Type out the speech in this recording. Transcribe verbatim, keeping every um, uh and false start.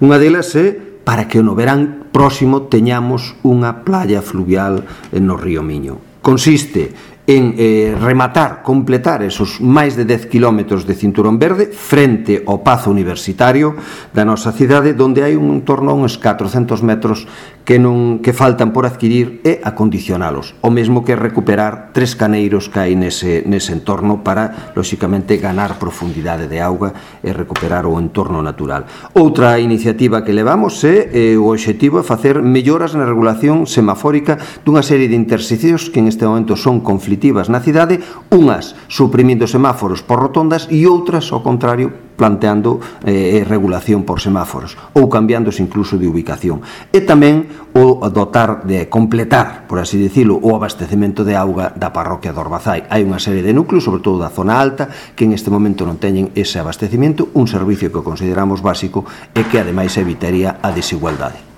Unha delas é para que no verán próximo teñamos unha playa fluvial no río Miño. Consiste en eh, rematar, completar esos máis de dez kilómetros de cinturón verde frente ao Pazo Universitario da nosa cidade, donde hai un torno a uns catrocentos metros que non que faltan por adquirir e acondicionalos, o mesmo que recuperar tres caneiros que hai nese, nese entorno para, lóxicamente, ganar profundidade de auga e recuperar o entorno natural. Outra iniciativa que levamos é eh, o obxectivo é facer melloras na regulación semafórica dunha serie de interseccións que en este momento son conflitivas na cidade, unhas suprimindo semáforos por rotondas e outras, ao contrario, planteando eh, regulación por semáforos ou cambiándose incluso de ubicación. E tamén o dotar de completar, por así dicilo, o abastecemento de auga da parroquia de Orbazai. Hai unha serie de núcleos, sobre todo da zona alta, que en este momento non teñen ese abastecemento, un servicio que consideramos básico e que ademais evitaría a desigualdade.